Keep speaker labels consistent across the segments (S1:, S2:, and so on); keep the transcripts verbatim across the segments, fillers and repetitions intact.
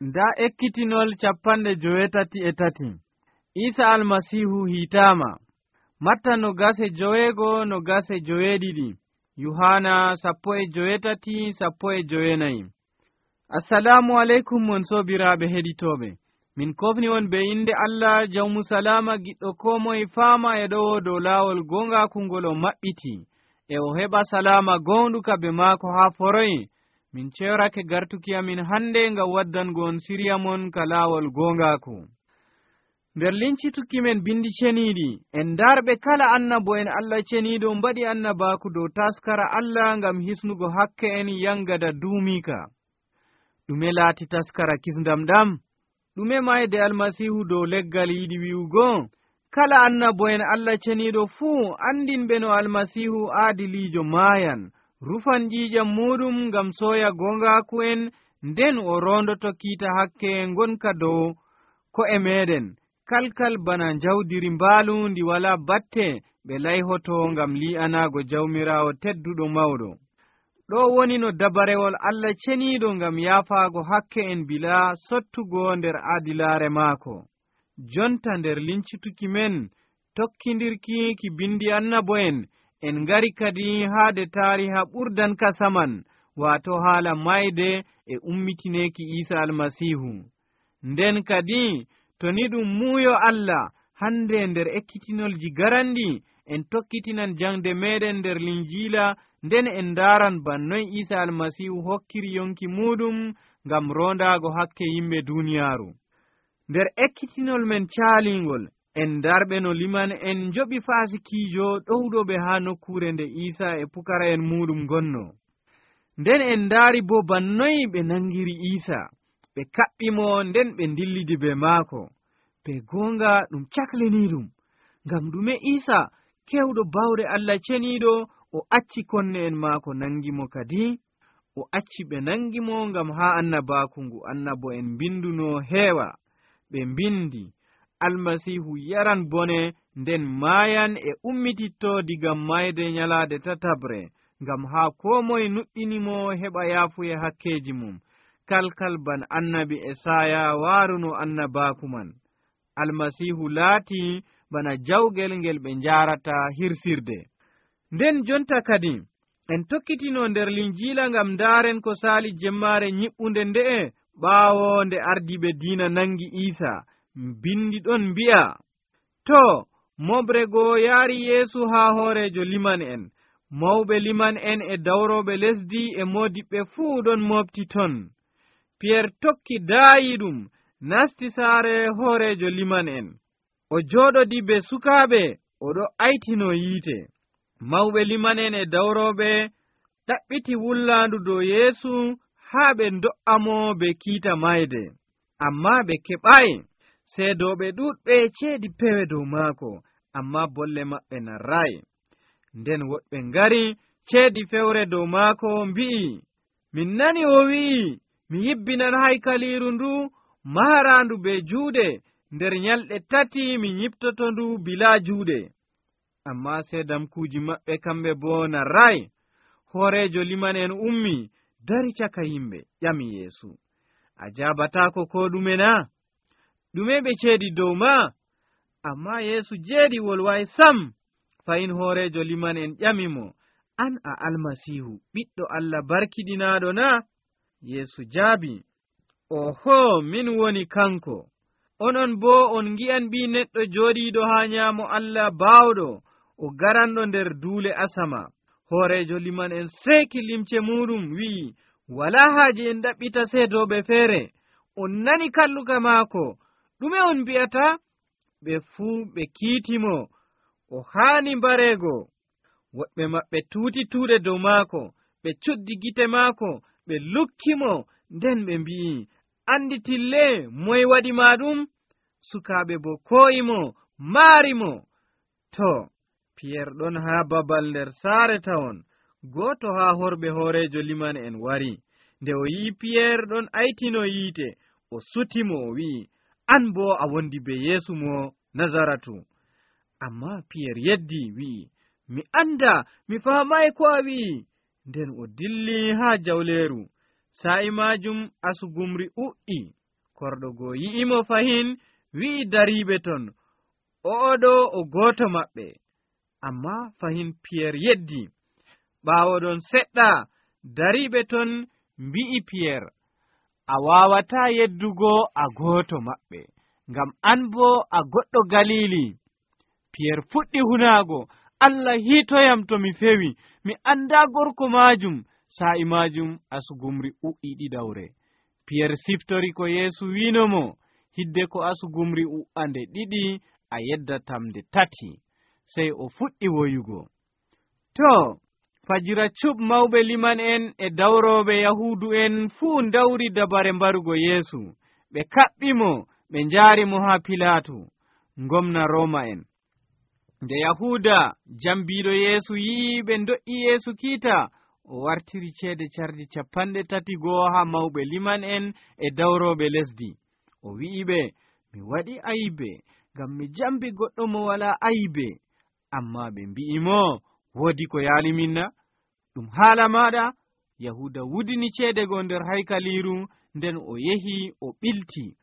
S1: nda ekkitinol capanɗe jowetati e tati. Isa almasihu hitama. Matta no gase joweego no gase joweeɗiɗi. Yohana sappo e jowetati sappo e jowenayi. Assalamu alaikum mon sobiraɓe heɗitoɓe. Min kofni on be inde Allah jawmu salama giɗɗo ko moye faama e ɗowo dow laawol gongakungol o maɓɓiti e o heɓa salama gonɗuka be maako haa foroyi. Min cewrake gartuki amin hande ngam waddango on siriya mon ka laawol gongaku. Nder lincituki men bindi ceniiɗi en darɓe kala annabo en Allah ceniiɗo mbaɗi annabaku dow taskara Allah ngam hisnugo hakke en yangada duumika. Ɗume laati taskara kisndam ɗam? Ɗume mayde almasihu dow leggal yiɗi wi'ugo? Kala annabo en Allah ceniiɗo fuu andinɓe no almasihu aadiliijo maayan, rufan ƴiiƴam muɗum ngam sooya gongaku en, nden o rondoto kiita hakke ngonka dow ko'e meɗen, kalkal bana jawdiri mbaalu ndi wala batte ɓe layhoto ngam li'anago jawmirawo tedduɗo mawɗo. Ɗo woni no dabarewol Allah ceniiɗo ngam yaafago hakke en bila sottugo nder aadilaare maako. Jonta nder lincituki men tokkindirki ki bindi annabo en, en ngari kadi haade taariha ɓurdan ka saman, waato haala mayde e ummitineki Isa almasihu. Nden kadi to ni ɗum muuyo Allah, hande nder ekkitinolji garandi en tokkitinan jangde meɗen nder linjiila, nden en ndaran bannoy Isa almasihu hokkiri yonki muɗum ngam rondago hakke yimɓe duniyaaru. Nder ekkitinol men caalingol en darɓe no liman en joɓi fasikiijo ɗowɗoɓe haa nokkure nde Isa e pukara en muɗum gonno. Nden en ndaari bo bannoy ɓe nangiri Isa, ɓe kaɓɓimo nden ɓe dillidi be maako. Be gonga ɗum cakliniɗum, ngam ɗume Isa kewɗo bawɗe Allah ceniiɗo o acci konne en maako nangimo kadi? O acci ɓe nangimo ngam haa annabaku ngu annabo en binduno heewa. Ɓe mbindi, almasihu yaran bone nden maayan e ummititto diga mayde nyalaade tatabre, ngam haa ko moye nuɗɗinimo heɓa yaafuye hakkeji mum, kalkal ban annabi Esaya waaruno annabaku man. Almasihu laati bana jawgel ngel ɓe njaarata hirsirde. Nden jonta kadi en tokkitino nder linjiila ngam ndaaren ko saali jemmaare nyiɓɓunde nde'e ɓaawo nde ardiɓe diina nangi Isa. Bindi ɗon mbi'a, to moɓre goo yaari Yeesu haa hoorejo liman en, mawɓe liman en e dawroɓe lesdi e modiɓɓe fuu ɗon mofti ton. Piyer tokki daayi ɗum nasti saare hoorejo liman en. O jooɗodi be sukaaɓe, oɗo aytino yiite. Mawɓe liman en e dawroɓe ɗaɓɓiti wullandu dow Yeesu haa ɓe do'amo be kiita mayde. Amma ɓe keɓayi. Seedoɓe ɗuɗɓe ceedi pewe dow maako, amma bolle maɓɓe narrayi. Nden woɗɓe ngari ceedi fewre dow maako mbi'i, min nani o wi'i, mi yibbinan haykaliiru ndu maharandu be juuɗe, nder nyalɗe tati mi nyiptoto ndu bilaa juuɗe. Amma seedamkuuji maɓɓe kamɓe boo narrayi. Hoorejo liman en ummi dari caka yimɓe ƴami Yeesu, a jabataako ko ɗume na? Ɗume ɓe ceedi dow ma? Amma Yeesu jeeɗi wolwayi sam. Fayin hoorejo liman en ƴamimo, an a almasihu ɓiɗɗo Allah barkiɗinaaɗo na? Yeesu jaabi, oho, min woni kanko. Onon boo on ngi'an ɓii neɗɗo jooɗiiɗo haa nyaamo Allah baawɗo, o garanɗo nder duule asama. Hoorejo liman en seeki limce muɗum wi'i, walaa haaje en ɗaɓɓita seedoɓe feere. On nani kalluka maako. Ɗume on mbi'ata? Ɓe fuu ɓe kiitimo, o haani mbareego. Woɗɓe maɓɓe tuuti tuuɗe dow maako, ɓe cuddi gite maako, ɓe lukkimo, nden ɓe mbi'i, anditille moye waɗi ma ɗum? Sukaaɓe bo ko'imo, maarimo. To, Piyer ɗon haa babal nder saare tawon, gooto haa horɓe hoorejo liman en wari. Nde o yi'i Piyer ɗon aytino yiite, o sutimo o wi'i, an bo a wondi be Yeesu mo Nazaratu. Amma Piyer yeddi wi'i, mi anda, mi faamayi ko a wi'i. Nden o dilli haa jawleeru. Sa'i majum asugumri u'i. korɗo goo yi'imo fahin, wi'i dariiɓe ton, o'oɗo o gooto maɓɓe. Ammaa fahin Piyeer yeddi. Ɓaawo ɗon seɗɗa, dariiɓe ton mbi'i Piyeer, a waawataa yeddugo a gooto maɓɓe, ngam an boo a goɗɗo Galiili. Piyeer fuɗɗi hunaago, Allah hiitoyam to mi fewi, mi anndaa gorko maajum. Sa'i maajum asugumri u'i ɗiɗawre. Piyeer siftori ko Yeesu wiinomo, hidde ko asugumri u'ande ɗiɗi a yeddatam nde tati. Sey o fuɗɗi woyugo. To, fajira cuɓ mawɓe liman en e dawrooɓe Yahuudu en fuu dawri dabare mbarugo Yeesu. Ɓe kaɓɓimo, ɓe njaari mo haa Pilaatu, ngomna Rooma en. Nde Yahuuda jambiiɗo Yeesu yi'i ɓe do'i Yeesu kiita, o wartiri ceede cardi capanɗe tati goo haa mawɓe liman en e dawrooɓe lesdi. O wi'iɓe, mi waɗi ayibe, ngam mi jambi goɗɗo mo walaa ayibe. Ammaa ɓe mbi'imo, woodi ko yaaliminna? Ɗum haala maaɗa? Yahuuda wudini ceede goo nder haykaliiru, nden o yehi o ɓilti.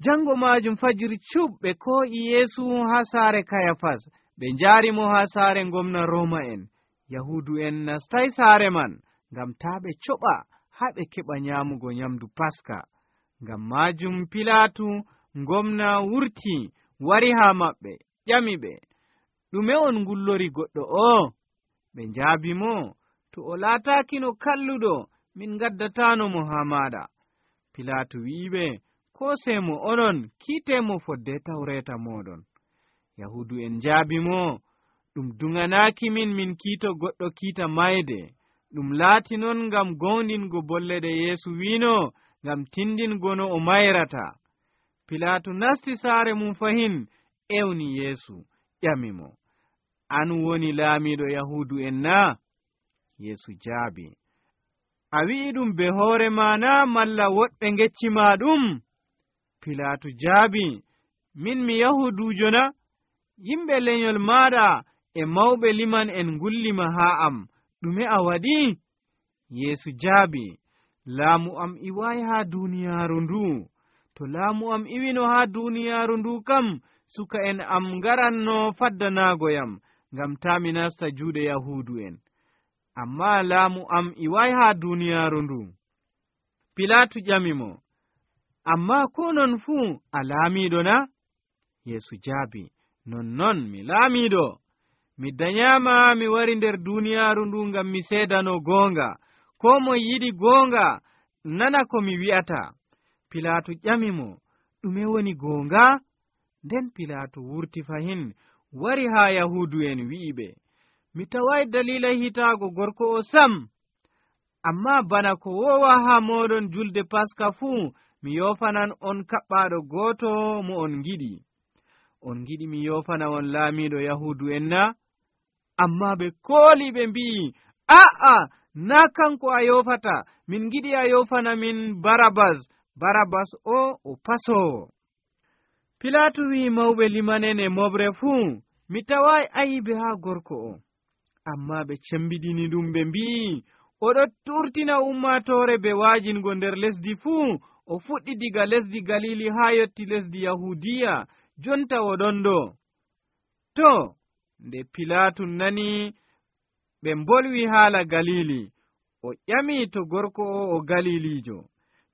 S1: Jango maajum fajiri cuɓ ɓe ko'i Yeesu haa saare Kayafas, ɓe njaari mo haa saare ngomna Rooma en. Yahuudu en nastay saare man, ngam taa ɓe coɓa haa ɓe keɓa nyaamugo nyamdu Paska. Ngam maajum Pilaatu ngomna wurti wari haa maɓɓe, ƴami ɓe, ɗume on ngullori goɗɗo o? Ɓe njaabi mo, to o laataakino kalluɗo, min ngaddataano mo haa maaɗa. Pilaatu wi'iɓe, ko seemo onon, kiitemo fodde tawreeta mooɗon. Yahuudu en njaabi mo, ɗum duŋanaaki min min kiito goɗɗo kiita mayde. Ɗum laati non ngam gowndingo bolle ɗe Yeesu wiino, ngam tindingo no o mayrata. Pilaatu nasti saare mum fahin, ewni Yeesu, ƴami mo, an woni laamiiɗo Yahuudu en na? Yeesu jaabi, a wi'i ɗum be hoore ma na, malla woɗɓe ngeccima ɗum? Pilaatu jaabi, min mi Yahuudujo na? Yimɓe lenyol maaɗa e mawɓe liman en ngullima haa am, ɗume a waɗi? Yeesu jaabi, laamu am iwayi haa duuniyaaru ndu. To laamu am iwino haa duuniyaaru ndu kam, suka en am ngaranno faddanaagoyam, ngam taa mi nasta juuɗe Yahuudu en. Ammaa laamu am iwayi haa duuniyaaru ndu. Pilaatu ƴami mo, ammaa ko non fuu a laamiiɗo na? Yeesu jaabi, nonnon mi laamiiɗo. Mi dañaama mi wari nder duuniyaaru ndu ngam mi seedano goonga. Ko mo yiɗi goonga nana ko mi wi'ata. Pilaatu ƴami mo, ɗume woni goonga? Nden Pilaatu wurti fahin, wari haa Yahuudu en wi'iɓe, mi taway dalila hitaago gorko o sam. Ammaa bana ko wowa haa mooɗon julde Paska fuu, mi yofanan on kaɓɓaaɗo gooto mo on giɗi. On giɗi mi yofana on laamiiɗo Yahuudu en na? Ammaa ɓe kooli ɓe mbi'i, a'a, naa kanko a yofata, min giɗi a yofana min Barabas. Barabas o o pasoowo. Pilaatu wi'i mawɓe limanen e moɓre fuu, mi taway ayibe haa gorko o. Ammaa ɓe cembiɗini ɗum ɓe mbi'i, oɗo turtina ummatoore be waajingo nder lesdi fuu, o fuɗɗi diga lesdi Galili haa yotti lesdi Yahuudiya, jonta oɗon ɗo. To, nde Pilaatu nani ɓe mbolwi haala Galili, o ƴami to gorko o o Galilijo.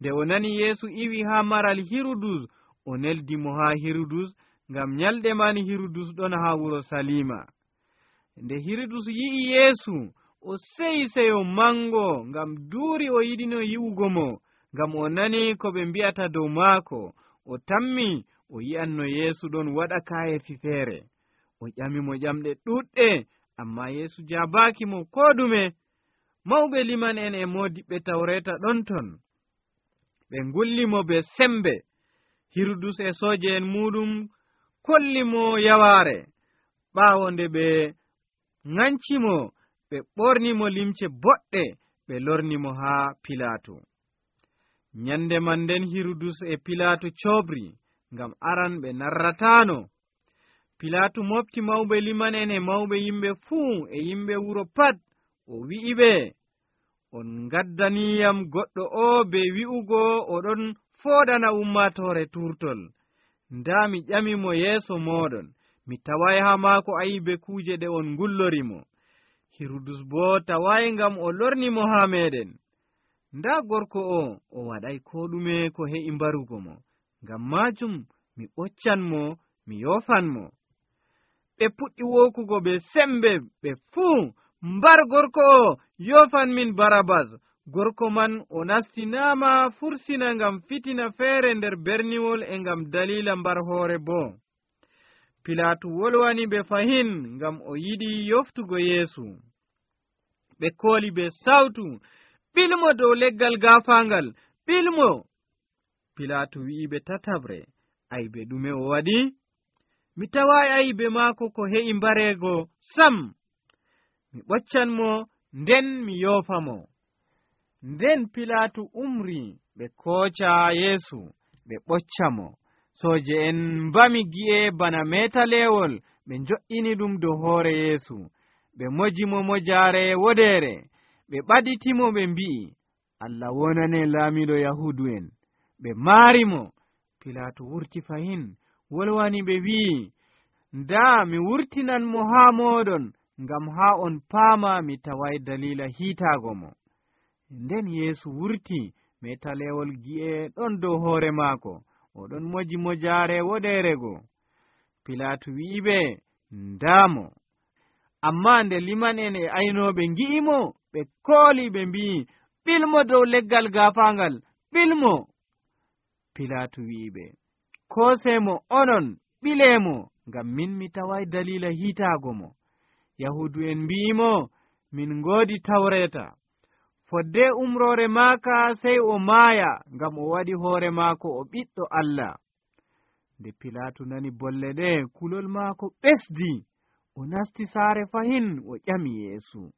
S1: Nde o nani Yeesu iwi haa maral Hirudus, o neldi mo haa Hirudus, ngam nyalɗe man Hirudus ɗon haa wuro Salima. Nde Hirudus yi'i Yeesu, o seyi seyo mango, ngam duuri o yiɗino yi'ugo mo, ngam o nani ko ɓe mbi'ata dow maako. O tammi o yi'anno Yeesu ɗon waɗa kaayefi feere. O ƴami mo ƴamɗe ɗuɗɗe, ammaa Yeesu jaabaaki mo koo ɗume. Mawɓe liman en e moodiɓɓe tawreeta ɗon ton. Ɓe ngulli mo be sembe. Hirudus e sooje en muɗum kolli mo yawaare. Ɓaawo nde ɓe ŋanci mo, ɓe ɓorni mo limce boɗɗe, ɓe lorni mo haa Pilaatu. Nyande man nden Hirudus e Pilaatu coobri, ngam aran ɓe narrataano. Pilaatu mofti mawɓe liman en e mawɓe yimɓe fuu e yimɓe wuro pat, o wi'iɓe, on ngaddaniyam goɗɗo o be wi'ugo oɗon fooɗana ummaatoore turtol. Ndaa mi ƴamimo yeeso mooɗon, mi taway haa maako ayibe kuuje ɗe on ngullorimo. Hirudus boo taway ngam o lornimo haa meeɗen. Ndaa gorko o o waɗay koo ɗume ko he'i mbarugo mo, ngam maajum mi ɓoccanmo, mi yofanmo. Ɓe puɗɗi wokugo ɓe sembe ɓe fuu, mbar gorko o yofan min Barabas. Gorko man o nastinaama fursina ngam fitina feere nder berniwol e ngam dalila mbar hoore boo. Pilaatu wolwani ɓe fahin ngam o yiɗi yoftugo Yeesu. Ɓe kooli ɓe sawtu, ɓilmo dow leggal gaafaangal, ɓilmo. Pilaatu wi'i ɓe tatabre, aybe ɗume o waɗi? Mi taway aybe maako ko he'i mbareego sam. Mi ɓoccanmo, nden mi yoofamo. Nden Pilaatu umri ɓe kooca Yeesu ɓe ɓoccamo. Sooje en mbami gi'e bana meetaleewol, ɓe njo'ini ɗum dow hoore Yeesu. Ɓe mojimo mojaare wodeere, ɓe ɓaditimo ɓe mbi'i, Allah wonane laamiɗo Yahuudu'en. Ɓe maarimo. Pilaatu wurti fahin, wolwani ɓe wi'i, ndaa mi wurtinanmo haa mooɗon, ngam haa on paama mi taway dalila hiitaago mo. Nden Yeesu wurti, meetaleewol gi'e ɗon dow hoore maako, oɗon moji mojaare woɗeerego. Pilaatu wi'iɓe, ndaamo. Ammaa nde liman en e aynooɓe ngi'imo, ɓe kooli ɓe mbi'i, ɓilmo dow leggal gaafaangal, ɓilmo. Pilaatu wi'iɓe, koosemo onon, ɓileemo, ngam min mi taway dalila hiitaago mo. Yahuudu'en mbi'imo, min ngoodi Tawreeta. Fodde umroore maaka sey o maaya, ngam o waɗi hoore maako o ɓiɗɗo Allah. Nde Pilaatu nani bolle ɗe, kulol maako ɓesdi. O nasti saare fahin, o ƴami Yeesu,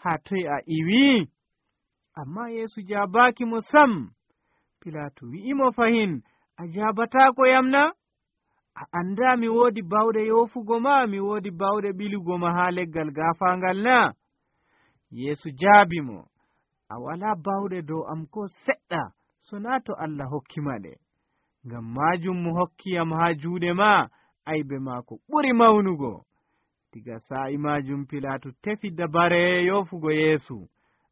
S1: haa toy a iwi? Ammaa Yeesu jaabaaki mo sam. Pilaatu wi'imo fahin, a jaabataako yamna? A anndaa mi woodi bawɗe yoofugo ma, mi woodi bawɗe ɓilugo ma haa leggal gaafaangal na? Yeesu jaabi mo, a walaa bawɗe dow am ko seɗɗa, so naa to Allah hokkima ɗe. Ngam maajum mo hokkiyam haa juuɗe ma, aybe maako ɓuri mawnugo. Diga sa'i maajum Pilaatu tefi dabare yoofugo Yeesu.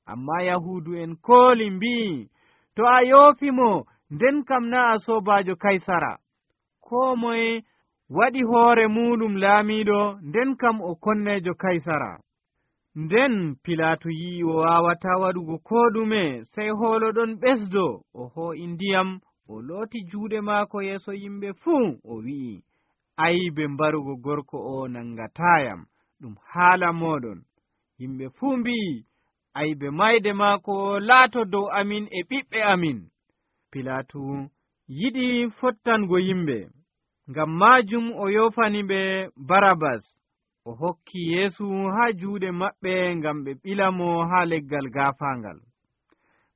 S1: Ammaa Yahuudu'en kooli mbi'i, to a yoofimo, nden kam naa a soobaajo Kaysara. Koo moye waɗi hoore muɗum laamiiɗo, nden kam o konneejo Kaysara. Nden Pilaatu yi'i o waawataa waɗugo koo ɗume, sey hoolo ɗon ɓesdo, o hoo'i ndiyam, o looti juuɗe maako yeeso yimɓe fuu, o wi'i, aybe mbarugo gorko o nangataayam, ɗum haala mooɗon. Yimɓe fuu mbi'i, aybe mayde maako laato dow amin e ɓiɓɓe amin. Pilaatu yiɗi fottango yimɓe, ngam maajum o yoofani ɓe Barabas. O hokki Yeesu haa juuɗe maɓɓe ngam ɓe ɓilamo haa leggal gaafaangal.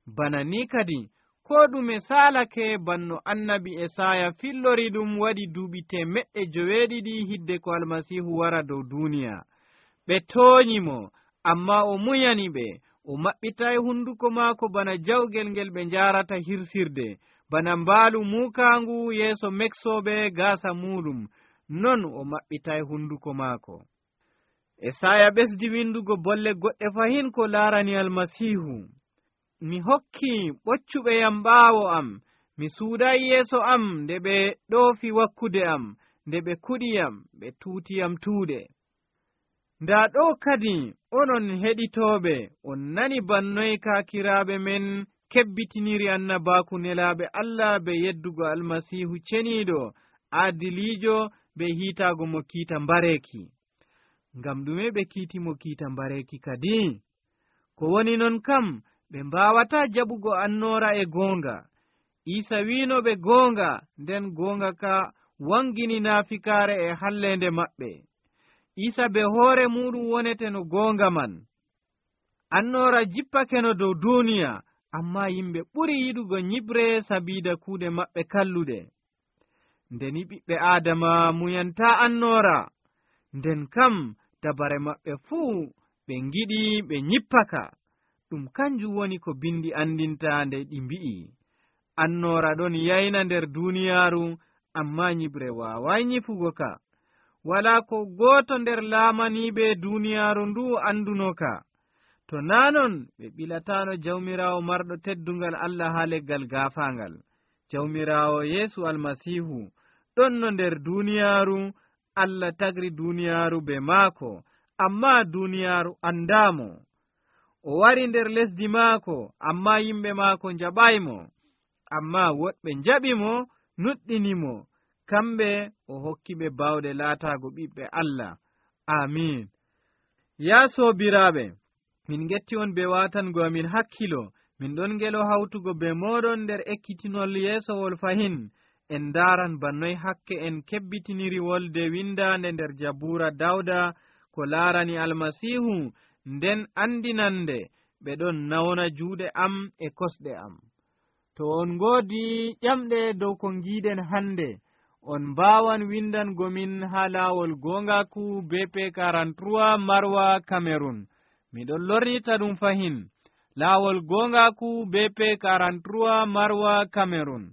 S1: Bana ni kadi, ko ɗume saalake banno annabi Esaya fillori ɗum waɗi duuɓi temeɗɗe joweeɗiɗi hidde ko Almasiihu wara dow duuniya. Ɓe tooñimo, ammaa o muyani ɓe. O maɓɓitay hunduko maako bana jawgel ngel ɓe njaarata hirsirde, bana mbaalu muukaangu yeeso meksooɓe gaasa muuɗum, non o maɓɓitay hunduko maako. Esaya ɓesdi windugo bolle goɗɗe fahin ko laarani Almasiihu. Mi hokki ɓoccuɓe yam ɓaawo am, mi suuday yeeso am nde ɓe ɗoofi wakkude am, nde ɓe kuɗiyam, ɓe tuutiyam tuuɗe. Ndaa ɗo kadi onon heɗitooɓe, on nani bannoy kaakiraaɓe men kebbitiniri annabaaku nelaaɓe Allah be yeddugo Almasiihu ceniiɗo, aadiliijo be hiitaago mo kiita mbareeki. Ngam ɗume ɓe kiitimo kiita mbareeki kadi? Ko woni non kam, ɓe mbaawataa jaɓugo annoora e goonga. Iisa wiino ɓe goonga, nden goonga ka wangini naafikaare e halleende maɓɓe. Iisa be hoore muɗum wonete no goonga man. Annoora jippake no dow duuniya, ammaa yimɓe ɓuri yiɗugo nyiɓre sabiida kuuɗe maɓɓe kalluɗe. Ndeni ɓiɓɓe Aadama muyantaa annoora, nden kam dabare maɓɓe fuu ɓe ngiɗi ɓe nyippaka. Ɗum kanjum woni ko bindi andinta nde ɗi mbi'i, annoora ɗon yayna nder duuniyaaru, ammaa nyiɓre waaway nyifugo ka. walaa ko gooto nder laamaniiɓe duuniyaaru ndu anduno ka. to naanon ɓe ɓilataano jawmiraawo marɗo teddungal Allah haa leggal gaafaangal. jawmiraawo Yeesu almasiihu ɗon no nder duuniyaaru. Allah tagri duuniyaaru be maako, ammaa duuniyaaru andaamo. o wari nder lesdi maako, ammaa yimɓe maako njaɓaymo. ammaa woɗɓe njaɓimo, nuɗɗinimo. kamɓe o hokki ɓe bawɗe laataago ɓiɓɓe Allah. amin. yaa soobiraaɓe, min getti on be waatango amin hakkilo. min ɗon ngelo hawtugo be mooɗon nder ekkitinol yeesowol fahin. en ndaaran bannoy hakke en kebbitiniri wolde windaande nder jabuura dawda ko laarani almasiihu, nden andinande ɓe ɗon nawna juuɗe am e kosɗe am. to on ngoodi ƴamɗe dow ko ngiiɗen hannde, on mbaawan windangomin haa laawol goongaku B P quarante-trois Marwa Cameroon. miɗon lornita ɗum fahin. laawol goongaku B P quarante-trois Marwa Cameroon.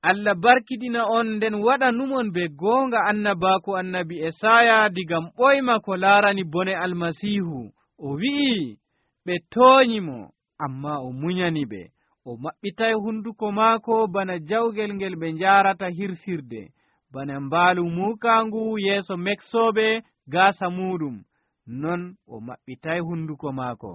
S1: Allah barkiɗina on, nden waɗa numon be goonga annabaaku annabi Esaya digam ɓoyma ko laarani bone almasiihu. o wi'i ɓe tooñimo, ammaa o munyani ɓe. o maɓɓitay hunduko maako bana jawgel ngel ɓe njaarata hirsirde, bana mbaalu muukaangu yeeso meksooɓe gaasa muɗum. non o maɓɓitay hunduko maako.